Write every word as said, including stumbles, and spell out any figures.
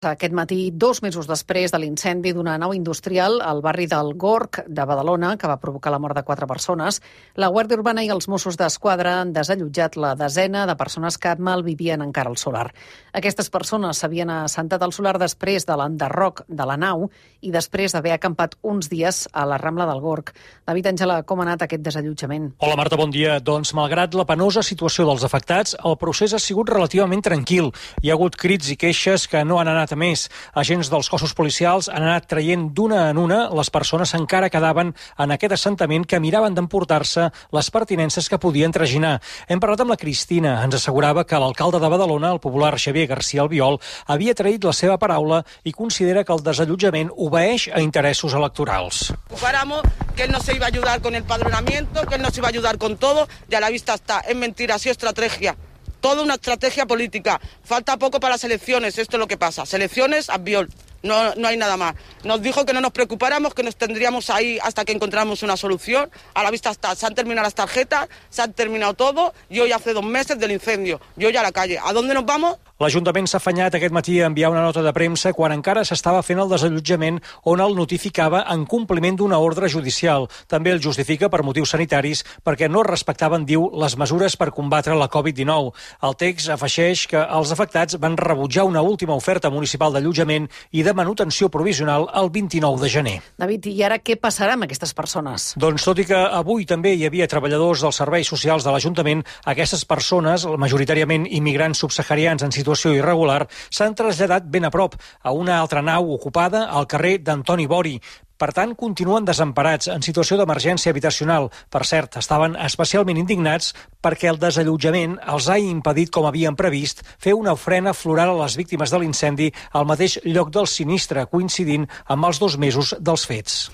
Aquest matí, dos mesos després de l'incendi d'una nau industrial al barri del Gorg de Badalona, que va provocar la mort de quatre persones, la Guàrdia Urbana i els Mossos d'Esquadra han desallotjat la desena de persones que malvivien encara al solar. Aquestes persones s'havien assentat al solar després de l'enderroc de la nau i després d'haver acampat uns dies a la Rambla del Gorg. David Àngela, com ha anat aquest desallotjament? Hola Marta, bon dia. Doncs malgrat la penosa situació dels afectats, el procés ha sigut relativament tranquil. Hi ha hagut crits i queixes que no han anat a més. Agents dels cossos policials han anat traient d'una en una les persones que encara quedaven en aquest assentament que miraven d'emportar-se les pertinences que podien traginar. Hem parlat amb la Cristina. Ens assegurava que l'alcalde de Badalona, el popular Xavier García Albiol, havia traït la seva paraula i considera que el desallotjament obeeix a interessos electorals. Paramos que él no se iba a ayudar con el padronamiento, que él no se iba a ayudar con todo, y a la vista está. Es mentira, ha sido estrategia. Toda una estrategia política. Falta poco para las elecciones, esto es lo que pasa. Selecciones, Albiol. No, no hay nada más. Nos dijo que no nos preocupáramos, que nos tendríamos ahí hasta que encontráramos una solución. A la vista está, se han terminado las tarjetas, se han terminado todo, y hoy hace dos meses del incendio. Yo ya a la calle. ¿A dónde nos vamos? L'Ajuntament s'ha afanyat aquest matí a enviar una nota de premsa quan encara s'estava fent el desallotjament on el notificava en compliment d'una ordre judicial. També el justifica per motius sanitaris perquè no respectaven, diu, les mesures per combatre la covid dinou. El text afegeix que els afectats van rebutjar una última oferta municipal d'allotjament i de manutenció provisional el vint-i-nou de gener. David, i ara què passarà amb aquestes persones? Doncs tot i que avui també hi havia treballadors dels serveis socials de l'Ajuntament, aquestes persones, majoritàriament immigrants subsaharians en situació situació irregular, s'han traslladat ben a prop, a una altra nau ocupada al carrer d'Antoni Bori. Per tant, continuen desemparats en situació d'emergència habitacional. Per cert, estaven especialment indignats perquè el desallotjament els ha impedit, com havien previst, fer una ofrena floral a les víctimes de l'incendi al mateix lloc del sinistre, coincidint amb els dos mesos dels fets.